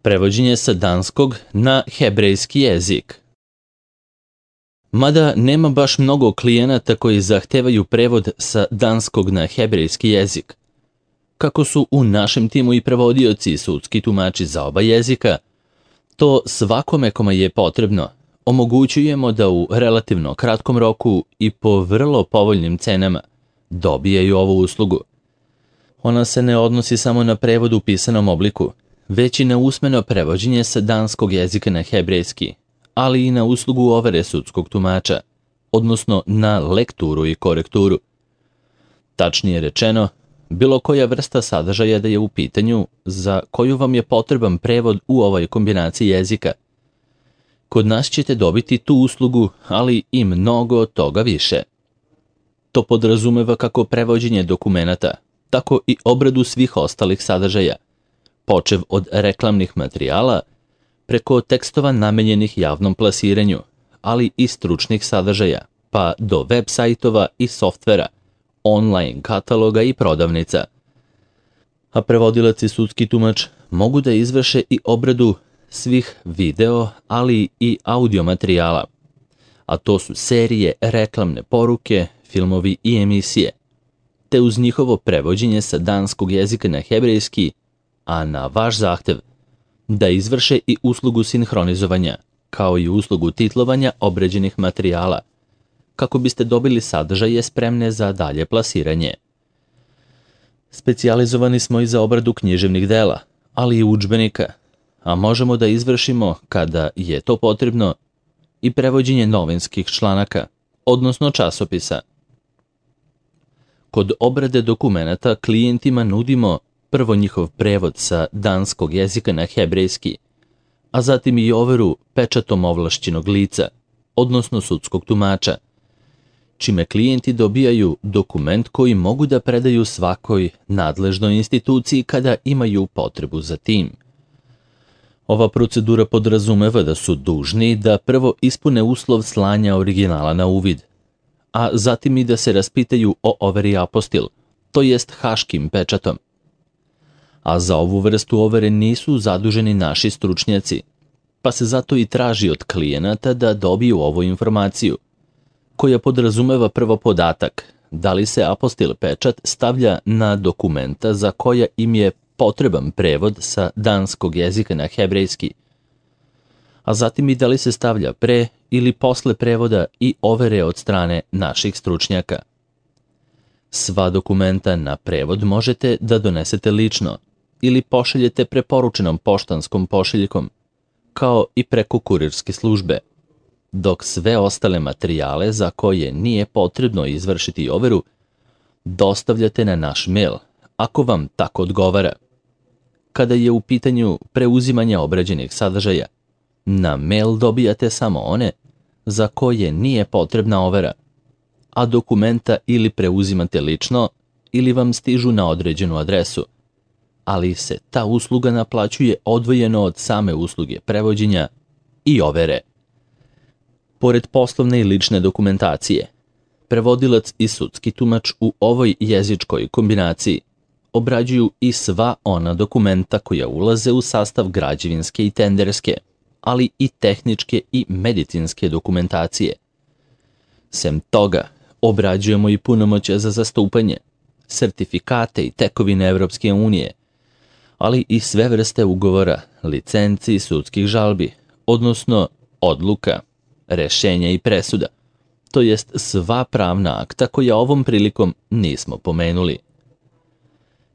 Prevođenje sa danskog na hebrejski jezik. Mada nema baš mnogo klijenata koji zahtevaju prevod sa danskog na hebrejski jezik. Kako su u našem timu i prevodioci i sudski tumači za oba jezika, to svakome kome je potrebno omogućujemo da u relativno kratkom roku i po vrlo povoljnim cenama dobijaju ovu uslugu. Ona se ne odnosi samo na prevod u pisanom obliku, već i na usmeno prevođenje sa danskog jezika na hebrejski, ali i na uslugu overe sudskog tumača, odnosno na lekturu i korekturu. Tačnije rečeno, bilo koja vrsta sadržaja da je u pitanju za koju vam je potreban prevod u ovoj kombinaciji jezika. Kod nas ćete dobiti tu uslugu, ali i mnogo toga više. To podrazumeva kako prevođenje dokumenata, tako i obradu svih ostalih sadržaja, počev od reklamnih materijala, preko tekstova namenjenih javnom plasiranju, ali i stručnih sadržaja, pa do web sajtova i softvera, online kataloga i prodavnica. A prevodilac i sudski tumač mogu da izvrše i obradu svih video, ali i audio materijala, a to su serije, reklamne poruke, filmovi i emisije, te uz njihovo prevođenje sa danskog jezika na hebrejski, a na vaš zahtev, da izvrše i uslugu sinhronizovanja, kao i uslugu titlovanja obrađenih materijala, kako biste dobili sadržaje spremne za dalje plasiranje. Specijalizovani smo i za obradu književnih dela, ali i udžbenika, a možemo da izvršimo, kada je to potrebno, i prevođenje novinskih članaka, odnosno časopisa. Kod obrade dokumenata klijentima nudimo prvo njihov prevod sa danskog jezika na hebrejski, a zatim i overu pečatom ovlašćenog lica, odnosno sudskog tumača, čime klijenti dobijaju dokument koji mogu da predaju svakoj nadležnoj instituciji kada imaju potrebu za tim. Ova procedura podrazumeva da su dužni da prvo ispune uslov slanja originala na uvid, a zatim i da se raspitaju o overi apostil, to jest haškim pečatom. A za ovu vrstu overe nisu zaduženi naši stručnjaci, pa se zato i traži od klijenata da dobiju ovu informaciju, koja podrazumeva prvo podatak da li se apostil pečat stavlja na dokumenta za koja im je potreban prevod sa danskog jezika na hebrejski, a zatim i da li se stavlja pre ili posle prevoda i overe od strane naših stručnjaka. Sva dokumenta na prevod možete da donesete lično ili pošaljete preporučenom poštanskom pošiljkom, kao i preko kurirske službe, dok sve ostale materijale za koje nije potrebno izvršiti overu dostavljate na naš mail, ako vam tako odgovara. Kada je u pitanju preuzimanja obrađenih sadržaja, na mail dobijate samo one za koje nije potrebna overa, a dokumenta ili preuzimate lično ili vam stižu na određenu adresu, ali se ta usluga naplaćuje odvojeno od same usluge prevođenja i overe. Pored poslovne i lične dokumentacije, prevodilac i sudski tumač u ovoj jezičkoj kombinaciji obrađuju i sva ona dokumenta koja ulaze u sastav građevinske i tenderske, ali i tehničke i medicinske dokumentacije. Sem toga, obrađujemo i punomoćje za zastupanje, sertifikate i tekovine Evropske unije, ali i sve vrste ugovora, licenci i sudskih žalbi, odnosno odluka, rešenja i presuda, to jest sva pravna akta koja ovom prilikom nismo pomenuli.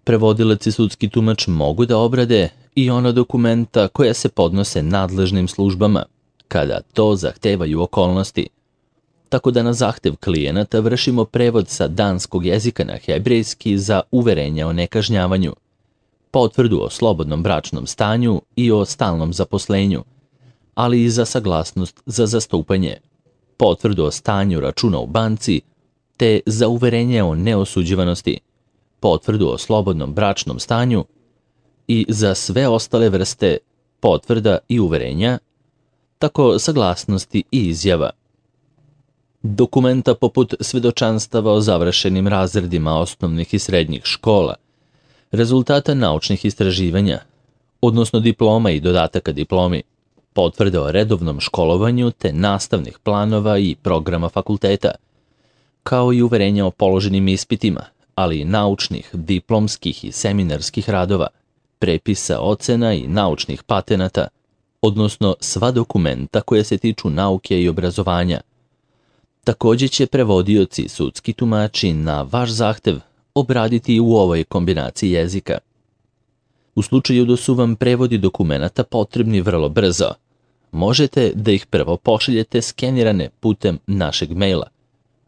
Prevodilac i sudski tumač mogu da obrade i ona dokumenta koja se podnose nadležnim službama, kada to zahtevaju okolnosti, tako da na zahtev klijenata vršimo prevod sa danskog jezika na hebrejski za uverenja o nekažnjavanju, potvrdu o slobodnom bračnom stanju i o stalnom zaposlenju, ali i za saglasnost za zastupanje, potvrdu o stanju računa u banci, te za uverenje o neosuđivanosti, potvrdu o slobodnom bračnom stanju i za sve ostale vrste potvrda i uverenja, tako saglasnosti i izjava. Dokumenta poput svedočanstava o završenim razredima osnovnih i srednjih škola, rezultata naučnih istraživanja, odnosno diploma i dodataka diplomi, potvrde o redovnom školovanju te nastavnih planova i programa fakulteta, kao i uverenja o položenim ispitima, ali i naučnih, diplomskih i seminarskih radova, prepisa ocena i naučnih patenata, odnosno sva dokumenta koje se tiču nauke i obrazovanja. Također će prevodioci i sudski tumači na vaš zahtev obraditi u ovoj kombinaciji jezika. U slučaju da su vam prevodi dokumenata potrebni vrlo brzo, možete da ih prvo pošaljete skenirane putem našeg maila,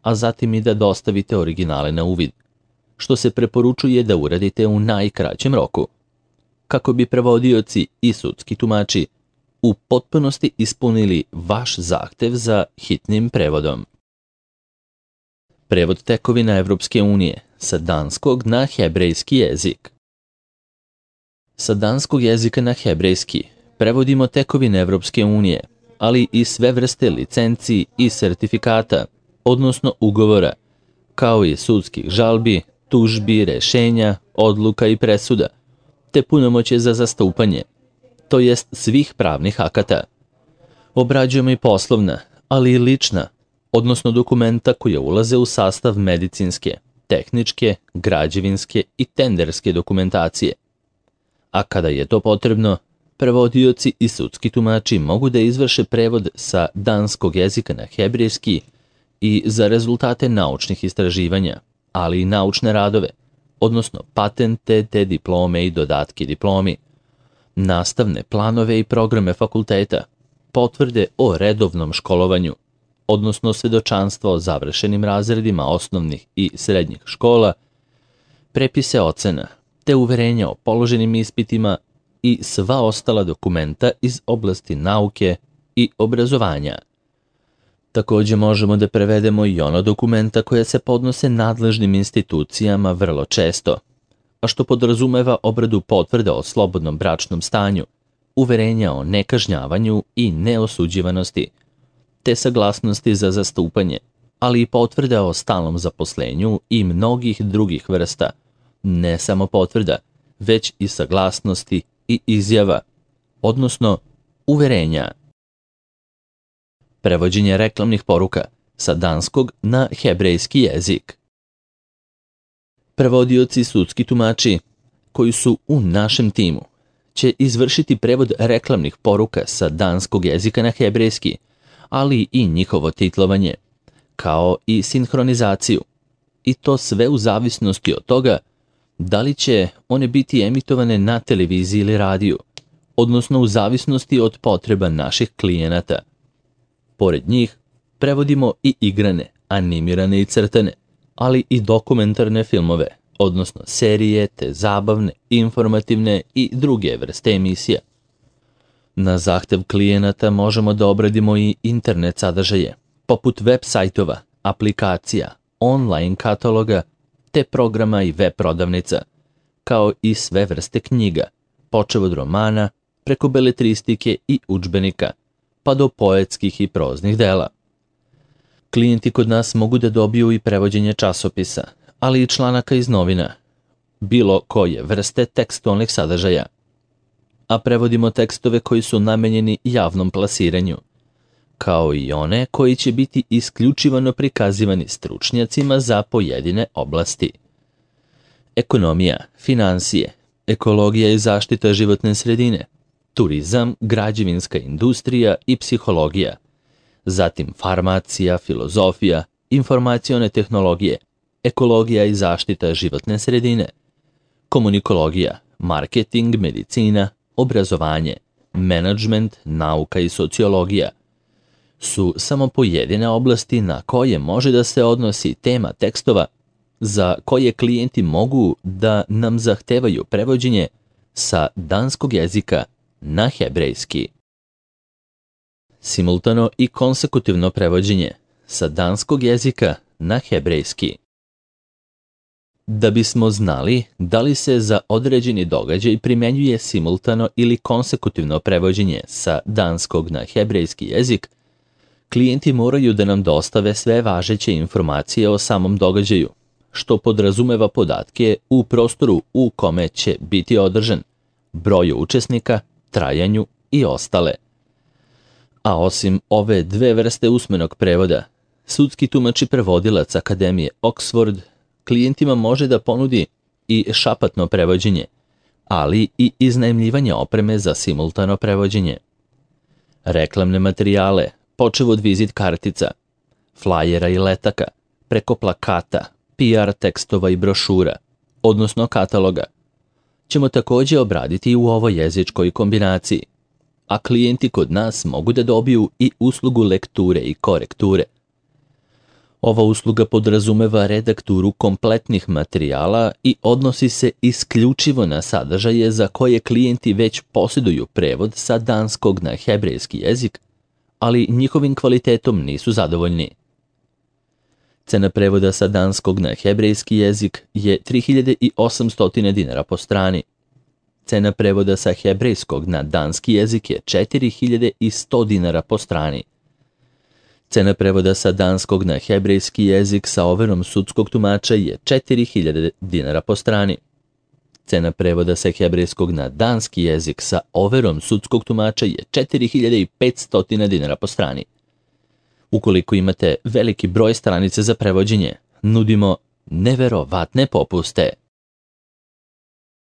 a zatim i da dostavite originale na uvid, što se preporučuje da uradite u najkraćem roku, kako bi prevodioci i sudski tumači u potpunosti ispunili vaš zahtev za hitnim prevodom. Prevod tekovina Evropske unije sa danskog na hebrejski jezik. Sa danskog jezika na hebrejski prevodimo tekovine Evropske unije, ali i sve vrste licenci i sertifikata, odnosno ugovora, kao i sudskih žalbi, tužbi, rešenja, odluka i presuda, te punomoćje za zastupanje, to jest svih pravnih akata. Obrađujemo i poslovna, ali i lična, odnosno dokumenta koja ulaze u sastav medicinske, tehničke, građevinske i tenderske dokumentacije. A kada je to potrebno, prevodioci i sudski tumači mogu da izvrše prevod sa danskog jezika na hebrejski i za rezultate naučnih istraživanja, ali i naučne radove, odnosno patente te diplome i dodatke diplomi, nastavne planove i programe fakulteta, potvrde o redovnom školovanju, odnosno svedočanstvo o završenim razredima osnovnih i srednjih škola, prepise ocena, te uverenja o položenim ispitima i sva ostala dokumenta iz oblasti nauke i obrazovanja. Također možemo da prevedemo i ono dokumenta koje se podnose nadležnim institucijama vrlo često, a što podrazumeva obradu potvrde o slobodnom bračnom stanju, uverenja o nekažnjavanju i neosuđivanosti, te saglasnosti za zastupanje, ali i potvrda o stalnom zaposlenju i mnogih drugih vrsta, ne samo potvrda, već i saglasnosti i izjava, odnosno uverenja. Prevođenje reklamnih poruka sa danskog na hebrejski jezik. Prevodioci i sudski tumači koji su u našem timu će izvršiti prevod reklamnih poruka sa danskog jezika na hebrejski, ali i njihovo titlovanje, kao i sinhronizaciju, i to sve u zavisnosti od toga da li će one biti emitovane na televiziji ili radiju, odnosno u zavisnosti od potreba naših klijenata. Pored njih, prevodimo i igrane, animirane i crtane, ali i dokumentarne filmove, odnosno serije te zabavne, informativne i druge vrste emisija. Na zahtev klijenata možemo da obradimo i internet sadržaje, poput web sajtova, aplikacija, online kataloga, te programa i web prodavnica, kao i sve vrste knjiga, počev od romana, preko beletristike i udžbenika, pa do poetskih i proznih dela. Klijenti kod nas mogu da dobiju i prevođenje časopisa, ali i članaka iz novina, bilo koje vrste tekstualnih sadržaja. A prevodimo tekstove koji su namenjeni javnom plasiranju, kao i one koji će biti isključivano prikazivani stručnjacima za pojedine oblasti. Ekonomija, finansije, ekologija i zaštita životne sredine, turizam, građevinska industrija i psihologija, zatim farmacija, filozofija, informacione tehnologije, ekologija i zaštita životne sredine, komunikologija, marketing, medicina, obrazovanje, menadžment, nauka i sociologija su samo pojedine oblasti na koje može da se odnosi tema tekstova za koje klijenti mogu da nam zahtevaju prevođenje sa danskog jezika na hebrejski. Simultano i konsekutivno prevođenje sa danskog jezika na hebrejski. Da bismo znali da li se za određeni događaj primenjuje simultano ili konsekutivno prevođenje sa danskog na hebrejski jezik, klijenti moraju da nam dostave sve važeće informacije o samom događaju, što podrazumeva podatke u prostoru u kome će biti održan, broju učesnika, trajanju i ostale. A osim ove dve vrste usmenog prevoda, sudski tumač i prevodilac Akademije Oxford klijentima može da ponudi i šapatno prevođenje, ali i iznajmljivanje opreme za simultano prevođenje. Reklamne materijale, počev od vizit kartica, flajera i letaka, preko plakata, PR tekstova i brošura, odnosno kataloga, ćemo također obraditi i u ovoj jezičkoj kombinaciji, a klijenti kod nas mogu da dobiju i uslugu lekture i korekture. Ova usluga podrazumeva redakturu kompletnih materijala i odnosi se isključivo na sadržaje za koje klijenti već posjeduju prevod sa danskog na hebrejski jezik, ali njihovim kvalitetom nisu zadovoljni. Cena prevoda sa danskog na hebrejski jezik je 3800 dinara po strani. Cena prevoda sa hebrejskog na danski jezik je 4100 dinara po strani. Cena prevoda sa danskog na hebrejski jezik sa overom sudskog tumača je 4000 dinara po strani. Cena prevoda sa hebrejskog na danski jezik sa overom sudskog tumača je 4500 dinara po strani. Ukoliko imate veliki broj stranica za prevođenje, nudimo neverovatne popuste.